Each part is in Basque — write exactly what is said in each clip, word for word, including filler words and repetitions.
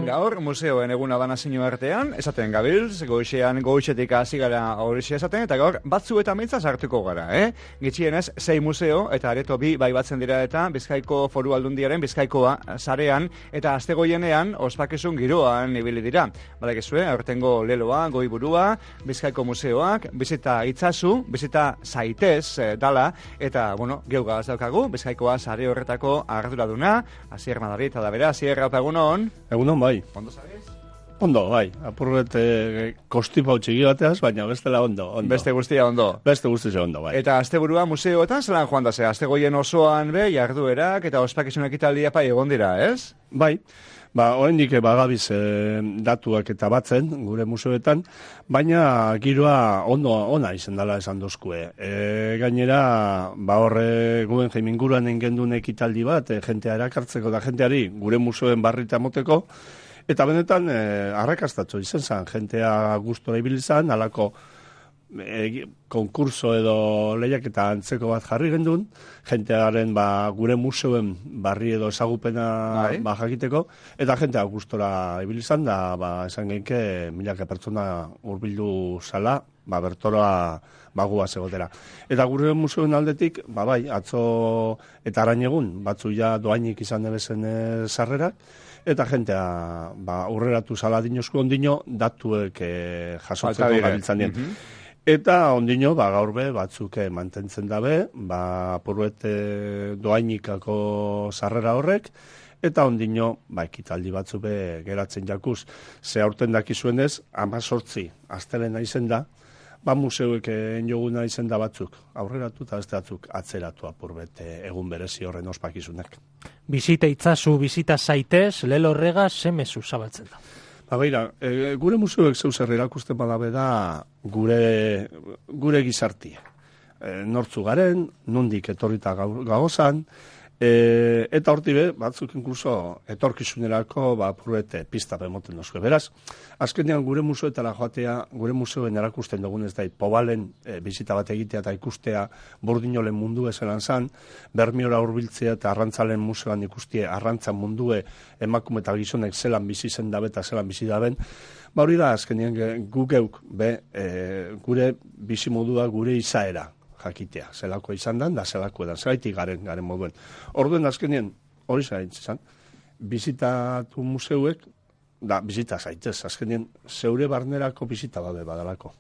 Gaur, museoen eguna da nazio artean, esaten gabiltz, goixean goixetik hasi gara horixe esaten, eta gaur batzu eta mintzaz hartuko gara, eh? Gitxienez, sei museo eta areto bi bai batzen dira eta Bizkaiko Foru Aldundiaren Bizkaikoa sarean eta astegoienean ospakizun giroan ibili dira. Badakizue, aurtengo leloa, goiburua, Bizkaiko museoak, bizita itzazu, bizita zaitez eh, dala, eta, bueno, geugaz daukagu, Bizkaikoa sare horretako arduraduna, Asier Madarit, da bera, Asier, haupa egunon. Egunon, bai. Ondo zabiz? Ondo, bai. Apurret e, kostipa txiki bateaz, baina bestela ondo, ondo. Beste guztia ondo. Beste guztia ondo, bai. Eta asteburua museoetan zelan joan da ze, astegoien osoan be, jarduerak eta ospakizun ekitaldia pai egon dira, ez? Bai. Ba, oraindik bagabiz e, datuak eta batzen gure museoetan, baina giroa ondo ona izan dela esan dozkue. E, gainera, ba horre guen jaiminguruan engendun ekitaldi bat, e, jentea erakartzeko da jenteari gure museoen barrita moteko, eta benetan e, arrakastatxo izan zen, jentea gustora ibili zen, alako e, konkurso edo lehiak eta antzeko bat jarri gendun, jentearen ba, gure museoen barri edo ezagupena ba, jakiteko, eta jentea gustora ibili zen, da ba, esan genke milaka pertsona hurbildu zala, ba, bertoroa bagua zegotera. Eta gure museoen aldetik, ba, bai, atzo eta arain egun, batzu ja doainik izan debezen e, sarrerak, eta jentea ba, urreratu zala dinozko ondino, datuek e, jasotzeko gabiltzan dien. Mm-hmm. Eta ondino, ba, gaur be, batzuk mantentzen dabe, ba, puruet doainikako sarrera horrek, eta ondino, ba, ekitaldi batzu be geratzen jakuz. Ze aurten dakizuenez, amazortzi, astelena izen da, ba, museuek enjoguna izen da batzuk, aurreratu eta beste batzuk atzeratu apurbet egun berezi horren ospakizunak. Bizita itzazu, bizita zaitez, lelo horrega, zemezu zabaltzen da. Ba, beira, e, gure museoek zeuzer erakusten badabe da gure, gure gizartia. E, nortzu garen, nondik etorrita gagozan, e, eta horti be, batzuk inkluso etorkizunerako ba, pruete pista bemoten dozue. Beraz, azkenean gure museoetara joatea, gure museoen erakusten dugunez da, pobalen e, bizita bat egitea eta ikustea burdinolen mundu ezelan zan, Bermiora hurbiltzea eta arrantzalen museoan ikustie arrantzan mundue emakume eta gizonek zelan bizi zen dabe eta zelan bizi daben. Ba hori da, azkenean gu geuk, be, e, gure bizimodua, gure izaera jakitea. Zelako izan dan, da zelako edan, zelaitik garen, garen moduen. Orduen azkenean, hori zaitzen, bizitatu museuek, da, bizita zaitez, azkenean, zeure barnerako bizita babe badalako.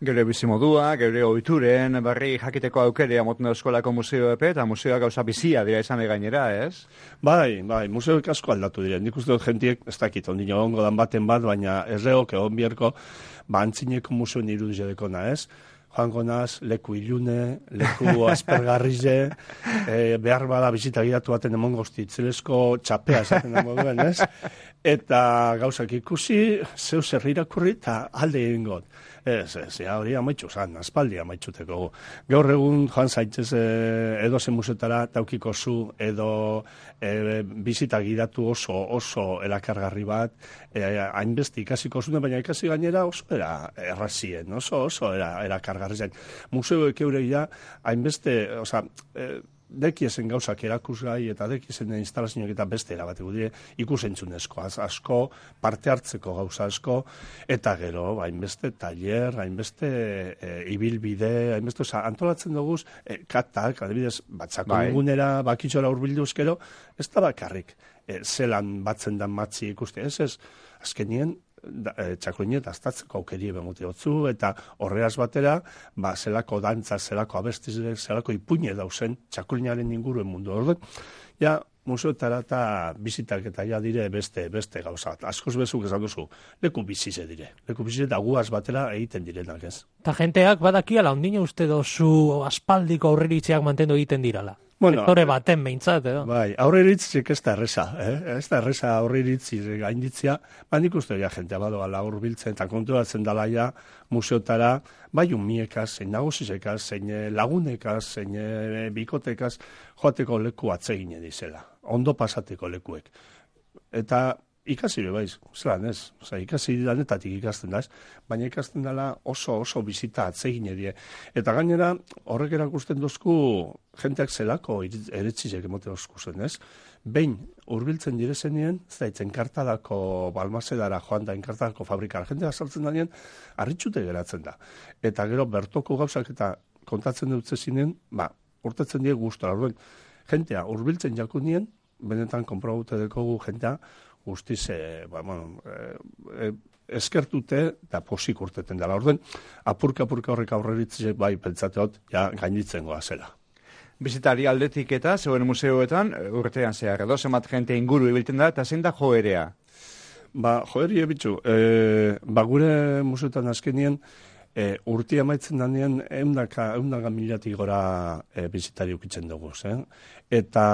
Geure bizimodua, geure ohituren barri jakiteko aukerea moten eskolako museo epe, eta museoak gauza bizia dira izan gainera, ez? Bai, bai, museoek asko aldatu dira. Nik uste dut jentiek, ez dakit, ondino ongo dan baten bat, baina ez leok, egon bierko, ba, antzineko museoen irudizedeko na, ez? Joango naz, leku ilune, leku aspergarrize, e, behar bada bizita giratu baten emongo itzelesko txapea esaten dago duen, ez? Eta gauzak ikusi, zeu zer irakurri eta alde egin got. Ez, ez, ja, hori amaitxu zan, aspaldi amaitxuteko. Gaur egun joan zaitzez e, edo zen musetara taukiko zu, edo e, bizita giratu oso, oso erakargarri bat, e, hainbeste ikasiko zune, baina ikasi gainera oso era errazien, oso, oso era erakargarri zen. Museoek eureia, hainbeste, oza, e, dekiezen gauzak erakusgai eta dekiezen instalazioak eta beste erabateko dire ikusentzunezko, asko parte hartzeko gauza asko, eta gero, hainbeste taller, hainbeste e, ibilbide, hainbeste, oza, antolatzen duguz, e, katak, adibidez, batzako bai. Egunera, bakitxora urbilduzkero, ez da bakarrik, e, zelan batzen dan matzi ikuste, ez ez, azkenien, Da, e, txakulinet aztatzeko aukerie bemuti hotzu, eta horreaz batera, ba, zelako dantza, zelako abestizle, zelako ipuine dauzen txakulinaren inguruen mundu. Orden, ja, museoetara eta bizitak eta ja dire beste beste gauza. Askoz bezuk esan duzu, leku bizize dire. Leku bizize eta guaz batera egiten direnak ez. Ta jenteak badakiala, ondine uste dozu aspaldiko aurreritziak mantendu egiten dirala. Bueno, sektore baten behintzat, edo? Bai, aurreritzik ez da erreza, eh? ez da erreza aurreritzi gainditzia, ba nik uste ja jentea badoa laur biltzen eta konturatzen dala ja museotara, bai umiekaz, zein nagusizekaz, zein lagunekaz, zein bikotekaz, joateko leku atsegine dizela, ondo pasateko lekuek. Eta ikasi be baiz, zelan ez, oza, ikasi danetatik ikasten da ez, baina ikasten dela oso oso bizita atsegin edie. Eta gainera, horrek erakusten dozku jenteak zelako eretzizek emote oskuzen ez. behin hurbiltzen direzenien, ez da, enkartadako balmazedara joan da, enkartadako fabrikara, jendea saltzen da nien, arritxute geratzen da. Eta gero bertoko gauzak eta kontatzen dut zezinen, ba, urtetzen die gustora. Orduen, jentea hurbiltzen jakunien, benetan konprobute dekogu jentea, guztiz, e, ba, bueno, e, e, eskertute eta posik urteten dela. Orduen, apurka-apurka horrek aurreritzek bai pentsateot, ja, gainitzen goa zela. Bizitari aldetik eta zeuen museoetan urtean zehar edo zemat jente inguru ibiltzen da eta zein da joerea? Ba, joeria bitxu, e, ba gure museoetan azkenien e, urtia maitzen danean eundaka, eundaka miliatik gora e, bizitari ukitzen dugu. Eh? Eta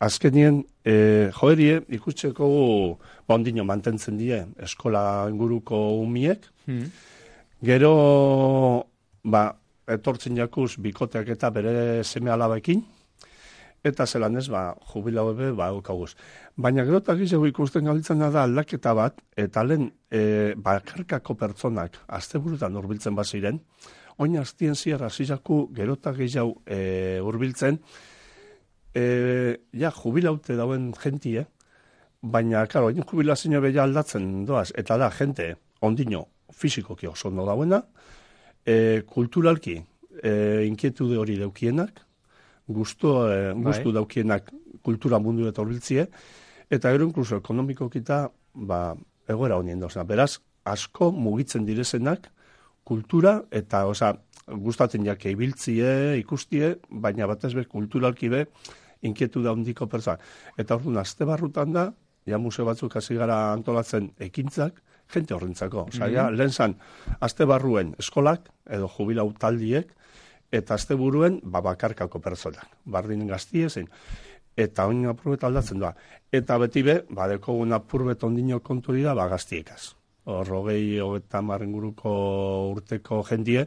azkenien e, joerie ikusteko ba ondino mantentzen die eskola inguruko umiek, hmm. Gero ba etortzen jakuz bikoteak eta bere seme alabekin, eta zelan ez, ba, jubilau ebe, ba, eukaguz. Baina gero eta gizego ikusten galitzen da aldaketa bat, eta lehen e, bakarkako pertsonak asteburutan hurbiltzen baziren, oin hastien ziar hasizaku gero eta gehiago e, hurbiltzen, e, ja, jubilaute dauen jentie, baina, karo, oin jubilazio beha aldatzen doaz, eta da, jente, ondino, fizikoki oso ondo dauena, E, kulturalki e, inkietude hori daukienak, gustu, e, gustu bai. Daukienak kultura mundu eta horbiltzie, eta gero inkluso ekonomikokita ba, egoera honien dozena. Beraz, asko mugitzen direzenak kultura eta oza, gustatzen jake ibiltzie, ikustie, baina batez be kulturalki be inkietude handiko pertsona. Eta orduan, azte barrutan da, ja museo batzuk hasi gara antolatzen ekintzak, jente horrentzako. Osa, mm-hmm. ja, lehen zan, azte barruen eskolak, edo jubilau taldiek, eta azte buruen, ba, bakarkako personak. Bardin gaztie zen. Eta oin apurbet aldatzen da. Eta beti be, ba, dekogun apurbet ondino konturi da, ba, gaztiekaz. Horrogei, hogeta marrenguruko urteko jendie,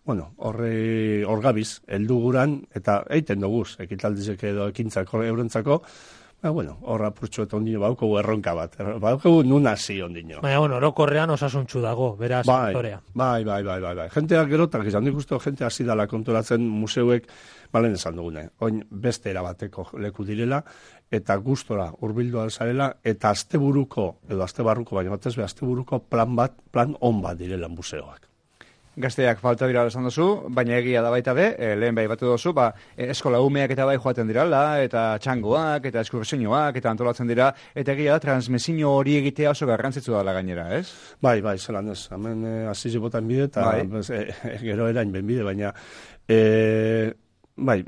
bueno, horre, horgabiz, heldu guran, eta eiten doguz, ekitaldizek edo ekintzak eurentzako, ba, bueno, horra purtsu eta ondino baukogu erronka bat. Baukogu nun hasi ondino. Baina, bueno, orokorrean osasuntxu dago, beraz, bai, sektorea. Bai, bai, bai, bai, bai. Jenteak gerotak izan, nik uste jente hasi dala konturatzen museuek, balen esan dugune, oin beste erabateko leku direla, eta gustora hurbildu zarela, eta asteburuko, edo astebarruko, baina batez be, asteburuko plan bat, plan on bat direla museoak. Gazteak falta dira esan duzu, baina egia da baita be, e, lehen bai batu duzu, ba, eskola umeak eta bai joaten dirala, eta txangoak, eta eskursioak, eta antolatzen dira, eta egia da, transmesio hori egitea oso garrantzitsu dela gainera, ez? Bai, bai, zelan ez, hemen e, azizi botan bide, eta bai. bez, e, e, gero erain ben bide, baina, e, bai,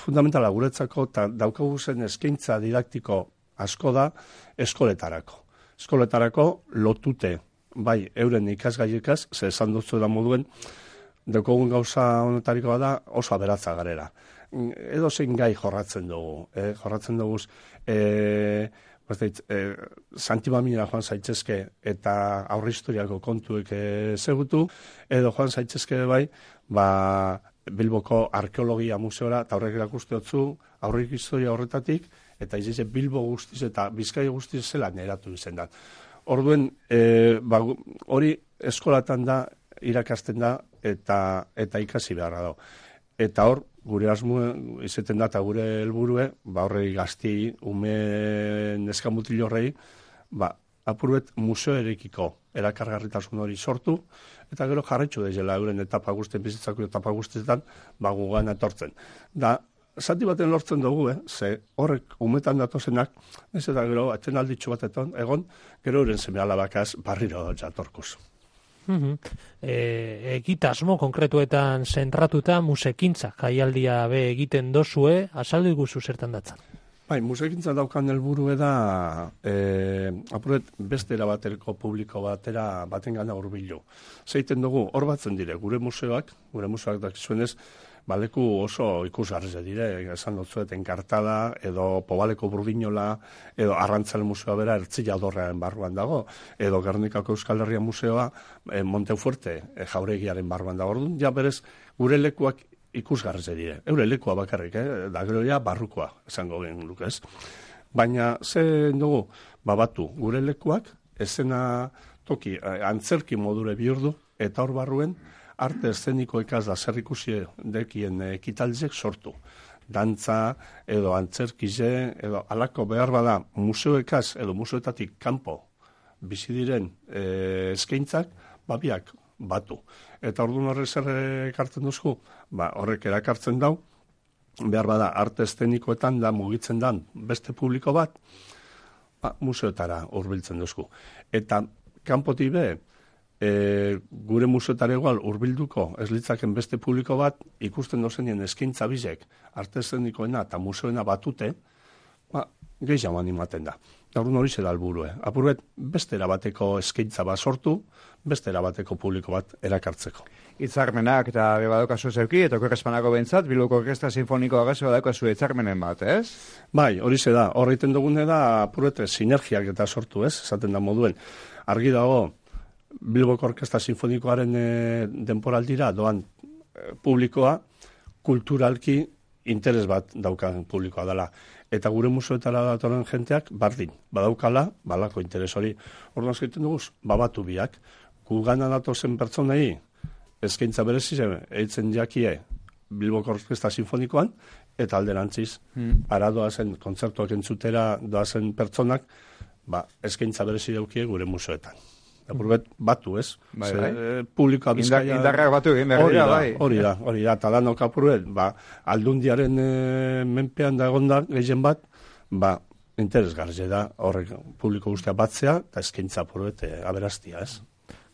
fundamentala guretzako, eta daukagu zen eskaintza didaktiko asko da eskoletarako. Eskoletarako lotute, bai, euren ikasgaiekaz, ze esan dutzu da moduen, dekogun gauza honetarikoa da oso aberatza garera. Edo zein gai jorratzen dugu, eh? jorratzen dugu, eh, eh, Santibamira joan zaitzezke eta aurre historiako kontuek eh, zegutu, edo joan zaitzezke bai, ba, Bilboko arkeologia museora, eta horrek erakuste dutzu, aurre historia horretatik, eta izize Bilbo guztiz eta Bizkai guztiz zela neratu izen da. Orduen, e, ba, hori eskolatan da, irakasten da, eta eta ikasi beharra da. Eta hor, gure asmu izeten da, eta gure helburue, ba, horrei gazti, ume neskamutil horrei, ba, apurbet museo erekiko erakargarritasun hori sortu, eta gero jarretxu dezela euren etapa guztien, bizitzako etapa guztietan, ba, gugan etortzen. Da, zati baten lortzen dugu, eh? Ze horrek umetan datozenak, ez eta gero, atzen alditxu batetan, egon, gero euren seme alabakaz barriro jatorkuz. Mm-hmm. E, egitasmo konkretuetan zentratuta musekintza jaialdia be egiten dozue, azaldu iguzu zertan datzan. Bai, musekintza daukan helburue da e, apuret beste erabaterko publiko batera baten gana hurbilu. Zeiten dugu, hor batzen dire, gure museoak, gure museoak dakizuenez, baleku oso ikusgarriz dire, esan dutzuet enkartada, edo Pobaleko Burdinola, edo Arrantzale Museoa bera Ertzilla Dorrearen barruan dago, edo Gernikako Euskal Herria Museoa e, Montefuerte e, jauregiaren barruan dago. Orduan, ja berez, gure lekuak ikusgarriz dire. Eure lekua bakarrik, eh? Da gero ja barrukoa, esango gen luke, ez? Baina, ze dugu, babatu, gure lekuak, ezena toki, antzerki modure bihurdu, eta hor barruen, arte eszeniko ekaz da zer ikusi dekien ekitaldiek sortu. dantza, edo antzerkize, edo alako behar bada museoekaz, edo museoetatik kanpo bizi diren e, eskaintzak, babiak batu. Eta orduan horrek zer ekartzen duzku? Ba, horrek erakartzen dau, behar bada arte eszenikoetan da mugitzen dan beste publiko bat, ba, museoetara hurbiltzen duzku. Eta kanpotik be, e, gure museoetara igual hurbilduko ez litzaken beste publiko bat, ikusten dozenien eskaintza bizek, arte eszenikoena eta museoena batute, ba, gehiago animaten da. Gaurun hori zera alburue. Apurbet, beste erabateko eskaintza bat sortu, beste erabateko publiko bat erakartzeko. Itzarmenak eta bebadokazu zeuki, eta korrespanako bentsat, Bilboko Orkestra Sinfonikoa gazo badaukazu itzarmenen bat, ez? Bai, hori ze da. Horreiten dugune da, apurbet, sinergiak eta sortu, ez? Esaten da moduen. Argi dago, Bilboko Orkestra Sinfonikoaren e, denporaldira doan e, publikoa, kulturalki interes bat daukan publikoa dela. Eta gure museoetara datoren jenteak, bardin, badaukala, balako interes hori. Orduan egiten duguz, babatu biak. Gugana datozen pertsonei, eskaintza berezize, eitzen jakie Bilboko Orkestra Sinfonikoan, eta alderantziz, hmm. ara doazen, kontzertuak entzutera doazen pertsonak, ba, eskaintza berezi daukie gure museoetan. Apurbet, batu, ez? Bai, bai. E, publikoa bizkaia... Indarrak batu egin behar dira, bai. Hori da, hori da, eta danok apurbet, ba, aldundiaren e, menpean da egonda gehien bat, ba, interesgarri da, horrek publiko guztia batzea, eta eskaintza apurbet e, aberastia, ez?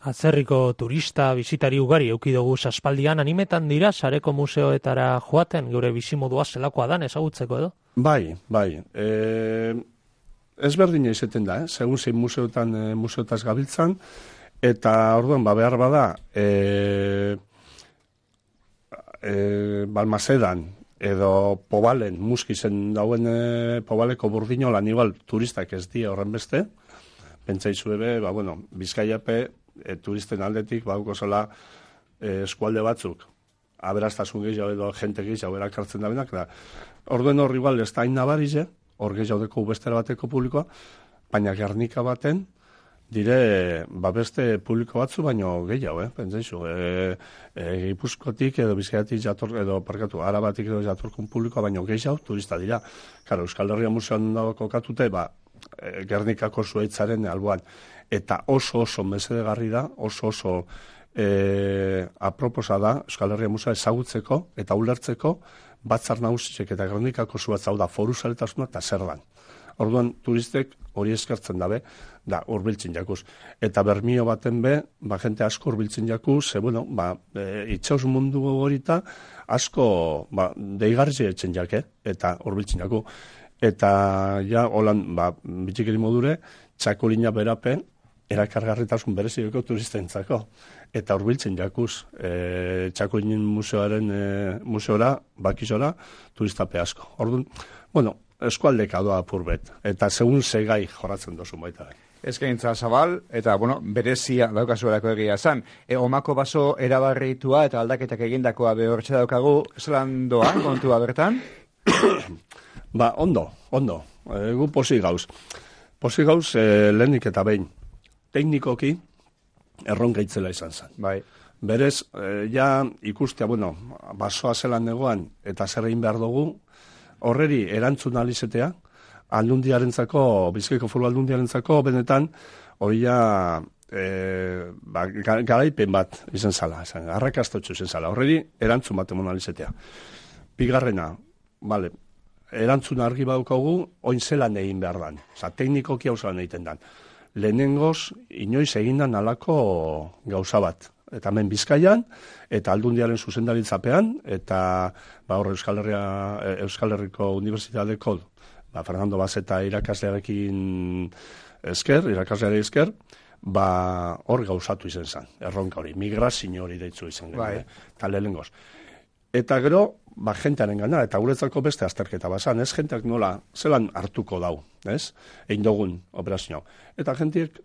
Atzerriko turista, bisitari ugari eukidugu aspaldian animetan dira, sareko museoetara joaten, geure bizimodua zelakoa dan ezagutzeko edo? Bai, bai. E, ezberdina izeten da, eh? Segun zein museotan e, museotaz gabiltzan, eta orduan, ba, behar bada, e, e, Balmasedan, edo Pobalen, muskizen dauen e, Pobaleko burdinolan, igual turistak ez die horren beste, pentsaizu ebe, ba, bueno, Bizkaiape, e, turisten aldetik, bauko zela e, eskualde batzuk, aberastasun gehiago edo jente gehiago erakartzen da benak, da, orduen hor igual ez da hain nabarize, hor gehiago deko bestera bateko publikoa, baina Gernika baten, dire, ba beste publiko batzu, baino gehiago, eh, pentsaizu, e, e, Gipuzkotik edo Bizkaiatik jator, edo parkatu, Arabatik edo jatorkun publikoa, baino gehiago, turista dira. Karo, Euskal Herria Museoan dago kokatute, ba, e, Gernikako zuaitzaren alboan, eta oso oso mesedegarri da, oso oso e, aproposa da, Euskal Herria Museoa ezagutzeko eta ulertzeko, batzar nagusisek eta Gernikako zuatz hau da foru zaletasuna eta zer dan. Orduan turistek hori eskertzen dabe, da hurbiltzen jakuz. Eta Bermio baten be, ba jente asko hurbiltzen jakuz, ze bueno, ba e, itxaus mundu horita asko ba deigarri etzen jake eta hurbiltzen jaku. Eta ja holan ba bitxikeri modure txakolina berapen erakargarritasun bereziko turistentzako. Eta hurbiltzen jakuz, e, Txakolinen museoaren e, museora, bakizora, turistape asko. Orduan, bueno, eskualdeka doa apurbet, eta segun segai joratzen dozu baita. Eskaintza zabal, eta, bueno, berezia daukazuelako egia zan. E, omako baso erabarritua eta aldaketak egindakoa behortxe daukagu, zelan doa, kontua bertan? Ba, ondo, ondo. E, gu posi gauz. Posi gauz, e, lehenik eta behin. Teknikoki, erronka itzela izan zen. Bai. Berez, e, ja ikustea, bueno, basoa zelan negoan eta zer egin behar dugu, horreri erantzun alizetea, aldundiarentzako, Bizkaiko Foru Aldundiarentzako, benetan, hori ja e, ba, garaipen bat izan zala, arrakastotxu izan zala, horreri erantzun bat emon alizetea. Bigarrena, vale, erantzun argi badaukagu, oin zelan egin behar dan, oza, teknikoki hau zelan egiten dan. Lehenengoz, inoiz egindan alako gauza bat. Eta hemen Bizkaian, eta Aldundiaren zuzendaritzapean, eta ba, horre Euskal, Herria, Euskal Herriko Unibertsitateko ba, Fernando Bazeta irakaslearekin esker, irakasleare esker, ba, hor gauzatu izan zen, erronka hori, migrazio hori deitzu izan gen, bai. Eta lehenengoz. Eta gero, ba, jentearen gana, eta guretzako beste azterketa bazan, ez, jenteak nola, zelan hartuko dau, ez, egin dugun operazio. Eta jentiek,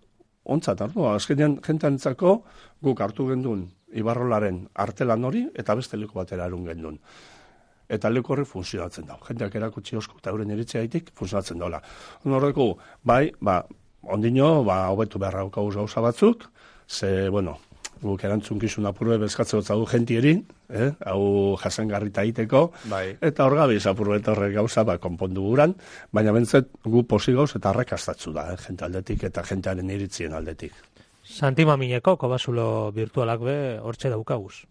ontzat hartu, azkenean jenteantzako guk hartu gendun Ibarrolaren artelan hori, eta beste leku batera erun gendun. Eta leku horri funtzionatzen dau. Jenteak erakutsi osko eta euren eritzea haitik funtzionatzen daula. Horreko, bai, ba, ondino, ba, hobetu beharra gauz gauza batzuk, ze, bueno, guk erantzunkizun apurbe bezkatzeko zagu jentieri, eh? hau jasangarrita egiteko, bai. eta hor gabiz apurbe horrek gauza ba, konpondu guran, baina bentzet gu posi gauz eta arrakastatzu da, eh? jente aldetik eta jentearen iritzien aldetik. Santi Mamineko kobazulo virtualak be hortxe daukaguz.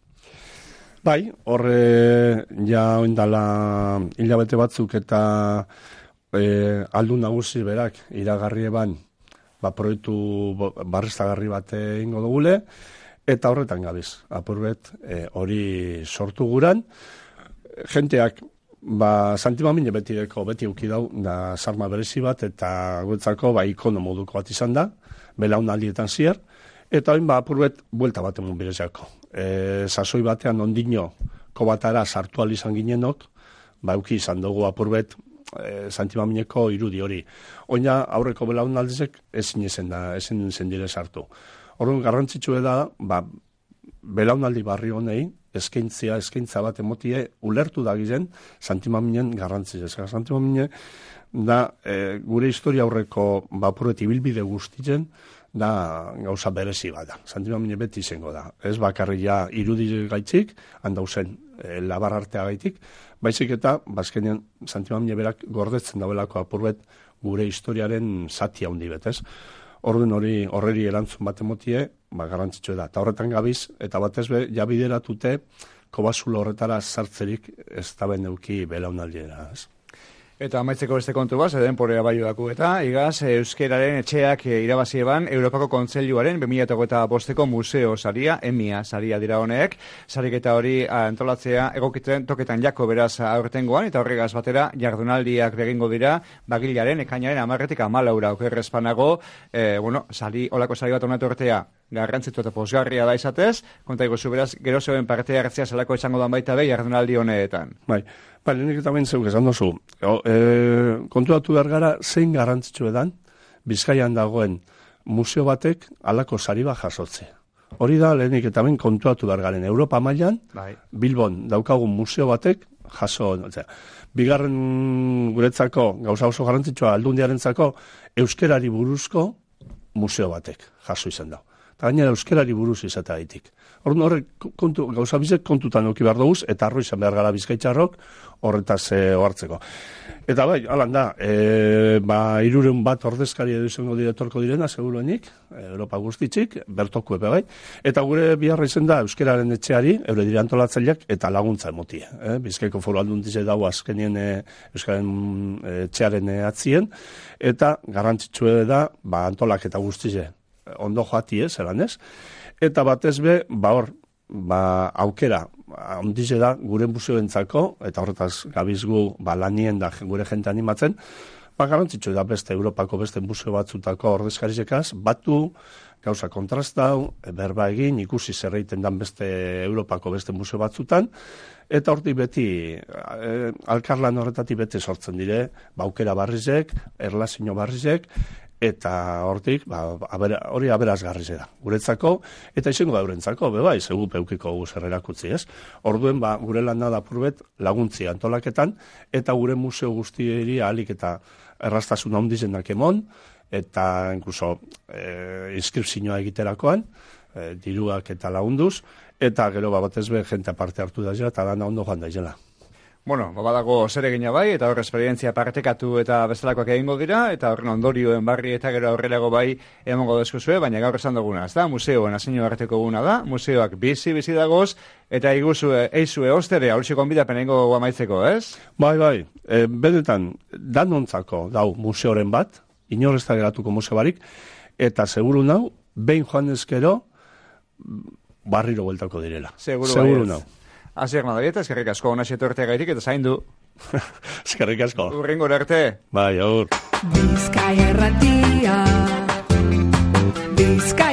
Bai, horre ja oindala hilabete batzuk eta e, aldun nagusi berak iragarri eban ba, proiektu barrestagarri bat egingo dugule, eta horretan gabiz, apurbet hori e, sortu guran. Jenteak, ba, Santi Mamine betireko beti uki dau, da sarma berezi bat, eta guetzako ba, ikono moduko bat izan da, belaunaldietan zier, eta hain ba, apurbet buelta bat emun birezako. E, sasoi batean ondino kobatara sartu izan ginenok, ba, uki izan dugu apurbet, E, Santi Mamineko irudi hori. Oina aurreko belaunaldizek ezin ezen da, ezin zen dire sartu. Orduan garrantzitsua da, ba, belaunaldi barri honei, eskaintzia, eskaintza bat emotie, ulertu da gizen, Santi Maminen garrantzia. Santi Mamine da, e, gure historia aurreko bapuret ibilbide guztitzen, da gauza berezi bat da. Santi Mamine beti izango da. Ez bakarria irudi gaitzik, handauzen e, labar artea gaitik, baizik eta, bazkenean, Santi Mamine berak gordetzen dauelako apurbet gure historiaren zati handi betez. Orduan hori horreri erantzun bat emotie, ba, garrantzitsua da. Eta horretan gabiz, eta batez be, ja bideratute, kobazulo horretara sartzerik ez da beneuki belaunaldiera, ez? Eta amaitzeko beste kontu bat, eden porea bai daku eta, igaz, euskeraren etxeak irabazi eban Europako Kontseiluaren bi mila hogeita bosteko museo saria, emia saria dira honek, sariketa hori antolatzea egokitzen toketan jako beraz aurtengoan, eta horregaz batera jardunaldiak begingo dira, bagilaren ekainaren amarretik amalaura okerrezpanago, eh, bueno, sari, olako sari bat honatu ortea, garrantzitu eta posgarria da izatez, kontaiko zu beraz, gero zeuen parte hartzea zelako izango dan baita be jardunaldi honetan. Bai, bai, lehenik eta behin zeuk esan dozu. E, kontuatu behar gara, zein garrantzitsu edan, Bizkaian dagoen museo batek alako sari bat jasotze. Hori da, lehenik eta behin kontuatu behar garen, Europa mailan, bai. Bilbon daukagun museo batek jaso. Otzea. Bigarren guretzako, gauza oso garrantzitsua aldundiarentzako, euskerari buruzko museo batek jaso izan da. Eta gainera euskerari buruz izatea ditik. Orduan horrek kontu, gauza bizek kontutan oki behar duguz, eta arro izan behar gara Bizkaitxarrok horretaz e, ohartzeko. Eta bai, alan da, e, ba, irureun bat ordezkari edo izango diretorko direna, seguruenik, Europa guztitzik, bertoku epe bai, eta gure biharra izan da euskeraren etxeari, eure dire antolatzaileak, eta laguntza emotie. Eh? Bizkaiko foru alduntize dago azkenien e, euskararen etxearen e, atzien, eta garrantzitsue da, ba, antolak eta guztize, ondo joati ez, eran ez? Eta batez be, ba hor, ba, aukera, ondize da, gure museoentzako, eta horretaz gabizgu, ba, lanien da gure jente animatzen, ba, garantzitzu da beste Europako beste museo batzutako ordezkarizekaz, batu, gauza kontrastau, berba egin, ikusi zerreiten dan beste Europako beste museo batzutan, eta hortik beti, e, alkarlan horretatik beti sortzen dire, ba, aukera barrizek, erlazio barrizek, eta hortik, ba, abera, hori aberazgarri da, guretzako, eta izango da eurentzako, bebai, zegu peukiko guzer erakutzi, ez? Orduen, ba, gure lan da purbet laguntzi antolaketan, eta gure museo guztieri ahalik eta errastasun handizenak emon, eta inkluso e, inskripzioa egiterakoan, e, diruak eta lagunduz, eta gero ba, batez be, jente aparte hartu da zela, eta dana ondo joan da izela. Bueno, babadago zer egina bai, eta horre esperientzia partekatu eta bestelakoak egingo dira, eta horren ondorioen barri eta gero aurrerago bai emongo deskuzue, baina gaur esan duguna, ez da? Museoen asinio arteko guna da, museoak bizi-bizi dagoz, eta iguzue, eizue ostere, haurtsi konbidapen egingo amaitzeko, ez? Bai, bai, e, benetan, danontzako dau museoren bat, inorez da geratuko museo barik, eta seguru nau, behin joan ezkero, barriro bueltako direla. Seguru, seguru nau. Aziak madarieta, eskerrik asko hona xetortea gaitik eta zaindu. Eskerrik asko. Urrengo arte. Bai, aur. Bizkaia erratia, Bizkaia